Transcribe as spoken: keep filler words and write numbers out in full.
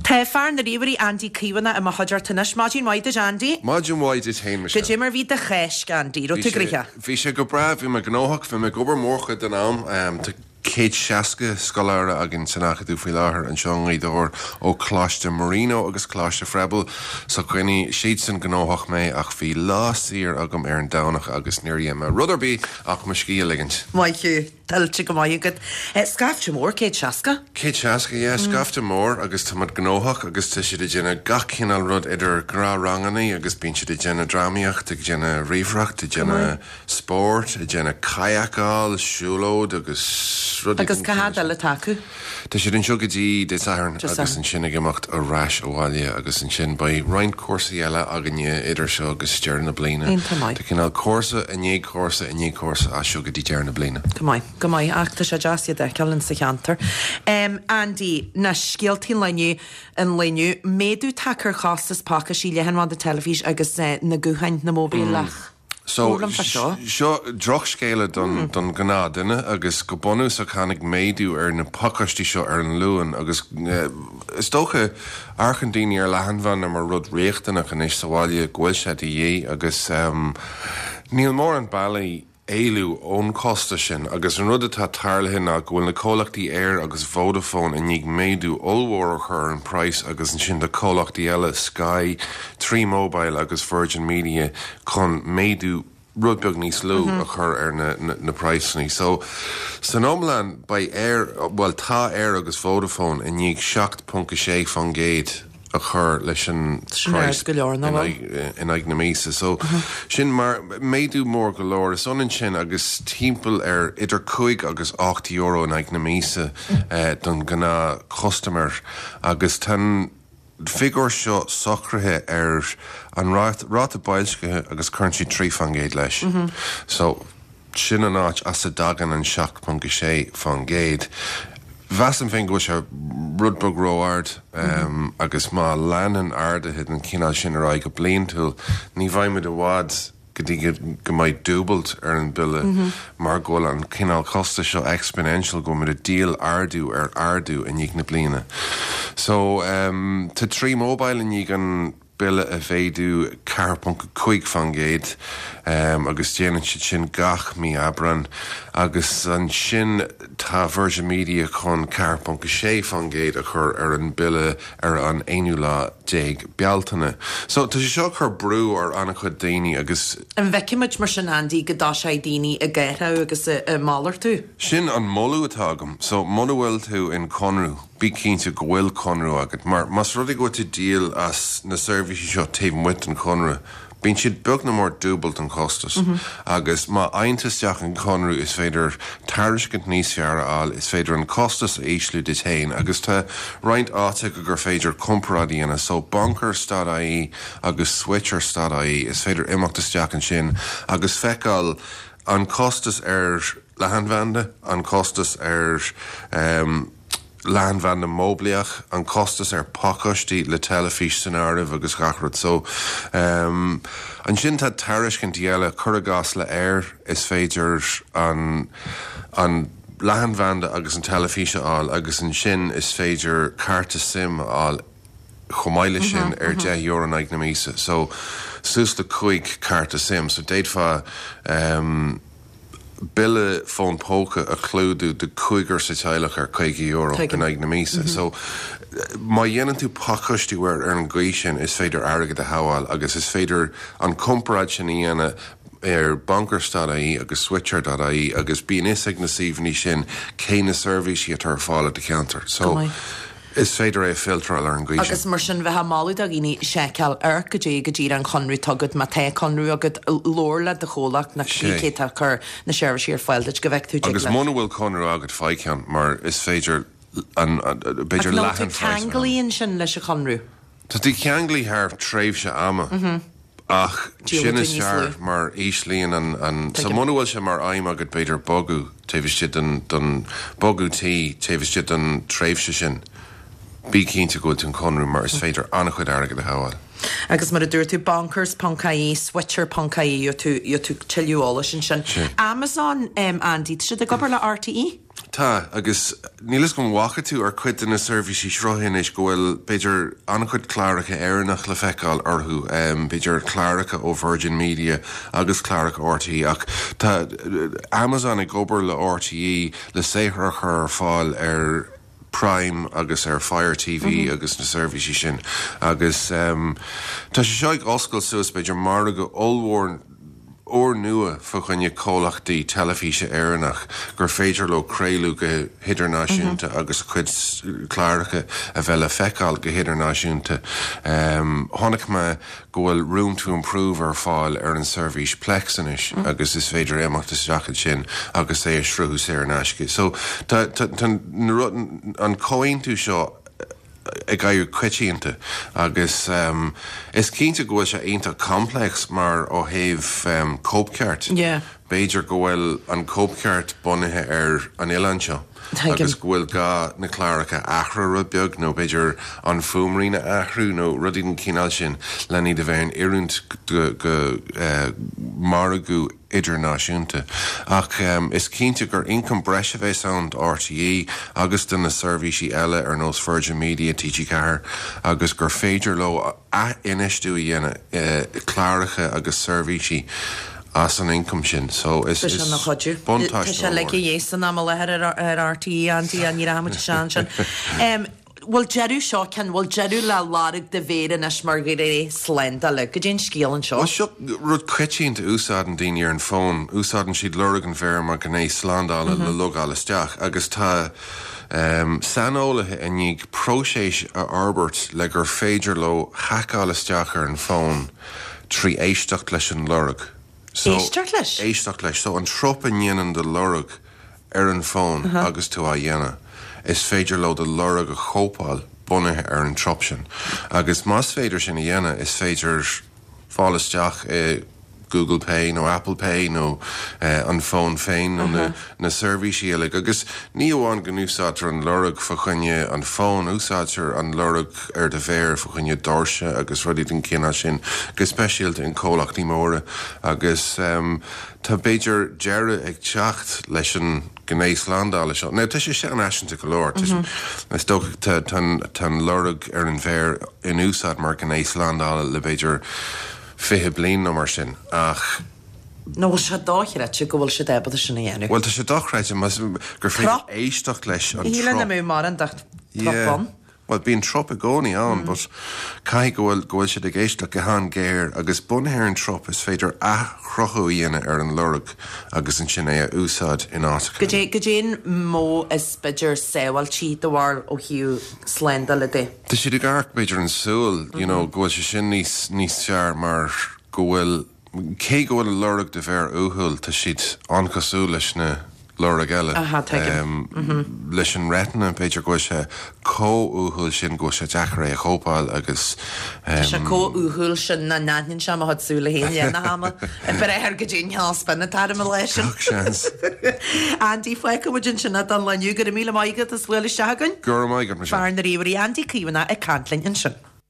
Tá fear na ríomhairí Andy Caomhánach i mo chuideachta anois. Maidin mhaith duit, Andy. Maidin mhaith duit féin. Cad é mar bhí do Cháisc, Andy? Raibh tú gnóthach? Bhí sé go breá, bhí mé gnóthach, bhí mé ag obair mórchuid den am. Tá céad seasca scoláire againn san Acadamh faoi láthair anseo i nGaoth Dobhair ó Coláiste Marino agus Coláiste Froebel, so choinnigh siadsan gnóthach mé, ach bhí lá saor agam ar an Domhnach agus níor dhein mé rud ar bith ach mo scíth a ligint. Maith thú, tuillte go maith agat. Scaifte mór, céad seasca? Céad seasca, yeah, scaifte mór, agus tá muid gnóthach agus tá siad ag déanamh gach cineál rud, idir gnáthranganna agus bíonn siad ag déanamh drámaíocht, ag déanamh ríomhaireacht, ag déanamh spóirt, ag déanamh kayakáil, siúlóid agus rudaí. Agus cá fhad eile atá acu? Tá siad anseo go dtí Dé Sathairn agus ansin ag imeacht ar ais abhaile, agus ansin beidh roinnt cúrsaí eile againne idir seo agus deireadh na bliana. Iontach maith. Tá cineál cúrsa i ndiaidh cúrsa i ndiaidh cúrsa as seo go dtí deireadh na bliana. Go maith, go maith, ach tá sé deas iad a fheiceáil in sa cheantar. Andy, na scéaltaí an lae inniu, an lae inniu, méadú tagtha ar chostas pacáistí leathanbhanda, teilifís agus na gutháin, na móibíleach. So, Labhair liom fá seo. Seo drochscéala don don ghnáthduine, agus go bunúsach tháinig méadú ar na pacáistí seo ar an Luan, agus is dócha amharcann daoine ar leathanbhanda mar rud riachtanach anois sa bhaile, go bhfuil sé de dhíth, agus níl mórán bealaí éalú ón chostas sin. Agus an rud atá tarlaithe ná go bhfuil na comhlachtaí Eir agus Vodafone i ndiaidh méadú ollmhór a chur ar an praghas, agus ansin do comhlachtaí eile, Sky, Three Mobile agus Virgin Media, chun méadú rud beag níos lú a chur ar na na praghsanna. So san iomlán beidh Eir, bhuel, tá Eir agus Vodafone i ndiaidh seacht ponc a sé faoin gcéad a chur leis an praghas go leor in aghaidh na míosa. So sin mar méadú mór go leor. Is ionann sin agus timpeall ar idir cúig agus ocht euro in aghaidh na míosa don ghnáth chustaiméir, agus tá an figiúr seo socraithe ar an ráta boilscithe agus cuireann siad trí faoin gcéad leis. So sin an áit as a dtagann an seacht ponc a sé faoin gcéad. Mheasaim féin go bhfuil sé rud beag ró-ard, agus má leanann arduithe den chineál sin ar aghaidh go bliantúil, ní bheidh muid i bhfad go dtí go mbeidh dúbailt ar an bille, mar go bhfuil an cineál costais seo exponential, go bhfuil muid ag díol ardú ar ardú i ndiaidh na bliana. So tá Three Mobile i ndiaidh an bille a mhéadú ceathair ponc a cúig faoin gcéad, agus déanann siad sin gach mí Aibreán, agus ansin tá Virgin Media chun ceathair ponc a sé faoin gcéad a chur ar an bille ar an aonú lá déag Bealtaine. So tá sé seo ag cur brú ar an-chuid daoine agus. An bhfeicfimid mar sin, Andy, go dtoiseoidh daoine ag athrú agus ag malartú? Sin an moladh atá agam. So muna bhfuil tú in conradh, bí cinnte go bhfuil conradh agat, mar más rud é go bhfuil tú ag díol as na seirbhísí seo taobh amuigh den chonradh, bíonn siad beag nó mór dúbailt an chostas. Agus má fhaigheann tú isteach an conradh, is féidir tairiscint níos fearr a fháil, is féidir an costas a ísliú duit féin, agus tá roinnt áiteacha gur féidir comparáid a dhéanamh. So bonkers dot I E agus switcher dot I E, is féidir imeacht isteach ansin agus feiceáil an costas ar leathanbhanda, an costas ar um, leathanbhanda móibíleach, an costas ar phacáistí le teilifís san áireamh agus gach rud. So um, ansin tá tairiscintí eile, cuir i gcás le Eir, is féidir an an leathanbhanda agus an teilifís a fháil agus ansin is féidir cárta SIM a fháil chomh maith leis sin ar deich euro in aghaidh na míosa. So suas le cúig cárta SIM, so d'fhéadfá um, bille fón póca a chlúdú do cúigear sa teaghlach ar caoga euro in aghaidh na míosa. So má dhéanann tú pacáistiú ar ar an gcaoi sin, is féidir airgead a shábháil, agus is féidir an comparáid sin a dhéanamh ar bonkers dot I E agus switcher dot I E, agus bíonn fhios ag na suíomhanna sin cé na seirbhísí atá ar fáil i do cheantar. So is féidir é filteráil ar an gcaoi Agus mar sin bheith moladh do dhaoine seiceáil ar go dtí go dtí an conradh atá agat, má tá conradh agat, labhair le do chomhlacht nach cé tá chur na seirbhísí ar fáil duit go bhfeicfidh tú. Agus muna bhfuil conradh agat, faigh ceann, mar is féidir an b'fhéidir leathan. Ceanglaíonn sin leis an chonradh. Tá tú ceanglaithe thar tréimhse ama. Ach sin is fearr mar íslíonn an an so muna bhfuil sé mar aidhm agat b'fhéidir bogadh taobh istigh den den bogadh tí taobh istigh den tréimhse sin, bí cinnte go bhfuil tú an conradh, mar is féidir an-chuid airgead a shábháil. Agus mar a dúirt tú, bonkers ponc I E, switcher ponc I E, tú tú tuilleadh eolais ansin. Amazon, um, Andy, tá siad ag obair le R T E? Tá agus níl a fhios agam an bhfaca tú ar cuid de na seirbhísí sruthaithe anois go bhfuil b'fhéidir an-chuid cláracha Éireannach le feiceáil orthu, b'fhéidir cláracha ó Virgin Media agus cláracha RTÉ ach tá Amazon ag obair le RTÉ le saothar a chur ar fáil ar Prime agus ar Fire TV mm -hmm. agus na seirbhísí sin agus um, tá sé seo ag oscailt suas b'fhéidir margadh ollmhór úrnua fá choinne comhlachtaí teilifíse Éireannach gur féidir leo craoladh go hidirnáisiúnta mm -hmm. agus cuid cláracha a bheith le feiceáil go hidirnáisiúnta. Um, Chonaic mé go bhfuil Room to Improve ar fáil ar an seirbhís Plex anois mm. agus is féidir imeacht isteach sin agus é a shruthú saor in aisce. So tá, tá, tá an comhaontú seo ag éirí coitianta agus um, is cinnte go bhfuil sé iontach complex mar ó thaobh um, cóipcheart. Yeah. B'fhéidir go bhfuil an cóipcheart bunaithe ar an oileán seo. agus go bhfuil gá na cláracha a athrú rud beag nó b'fhéidir an fuaimrian a athrú nó rudaí den chineál sin le iad a bheith in oiriúint go, go uh, margadh idirnáisiúnta. Ach um, is cinnte gur ioncam breise a bheas ann RTÉ agus do na seirbhísí eile ar nós Virgin Media TG Ceathair agus gur féidir leo infheistiú a dhéanamh uh, cláracha agus seirbhísí as an ioncam sin so is is buntáiste sé le dhésan am leathair ar RTÉ Andy an ní ramuid sean sin. Bhfuil deireadh seo cin bhfuil deireadh le lorg do mhéar anois mar ghné slándála, goidé an scéal anseo. Well seo rud coitianta úsáideann daoine ar an bhfón, úsáideann siad lorg an mhéir mar gné slándála mm -hmm. le logáil isteach agus tá um, saineolaithe i ndiaidh próiseas a fhorbairt le gur féidir leo haiceáil isteach ar an bhfón trí éisteacht leis an lorg. So, éisteacht leis? Éisteacht leis, so an trup a ndéanann do lorg ar an bhfón uh -huh. agus tú á dhéanamh. Is féidir leo do lorg a chóipeáil bunaithe ar an trup sin. Agus más féidir sin a dhéanamh is féidir fáil isteach i Google Pay nó Apple Pay nó uh, an fón féin nó uh -huh. na, na seirbhísí eile agus ní amháin go n-úsáidtear an lorg fá choinne an fón úsáidtear an lorg ar do mhéar fá choinne doirse agus rudaí den chineál sin go speisialta in comhlachtaí móra agus um, tá b'fhéidir deireadh ag teacht leis an gné slándála seo. Now tá sé seanfhaiseanta go leor mm -hmm. Is dócha tá an lorg ar an mhéar in úsáid mar gné slándála le b'fhéidir fiche bliain nó mar sin ach Nó bhfuil sé dochreidte go bhfuil siad ábalta sin a dhéanamh. Well tá sé dochreidte gur féidir éisteacht leis an Híle na mú mar an trup. Well bíonn trup i gcónaí ann, mm. but caithfidh go bhfuil go bhfuil siad ag éisteacht go han-ghéar agus bunaithe ar an trup is féidir athchruthú a dhéanamh ar an lorg agus ansin é a úsáid in áiteacha. Goidé an modh is b'fhéidir sábháilte do bharr ó thaobh slándála de. Tá siad ag amharc b'fhéidir an súil, you know, go bhfuil sé sin níos níos fearr mar go bhfuil cé go bhfuil lorg do mhéar uathúil tá siad an-chosúil leis na lorg eile. Aha, tuigim. Um, leis an retina b'fhéidir go bhfuil sé chomh uathúil sin go bhfuil sé deacair é a chóipeáil agus Tá sé chomh uathúil sin nach n-aithníonn sé mo chuid súile féin le na hama. Breith go dtí an spin atá me leis sin. seans. Andy fágfaidh muid ansin don lá inniu go raibh míle maith agat as bualadh isteach againn. Go raibh maith agat Fear na ríomhairí Andy Caomhánach ag caint linn ansin.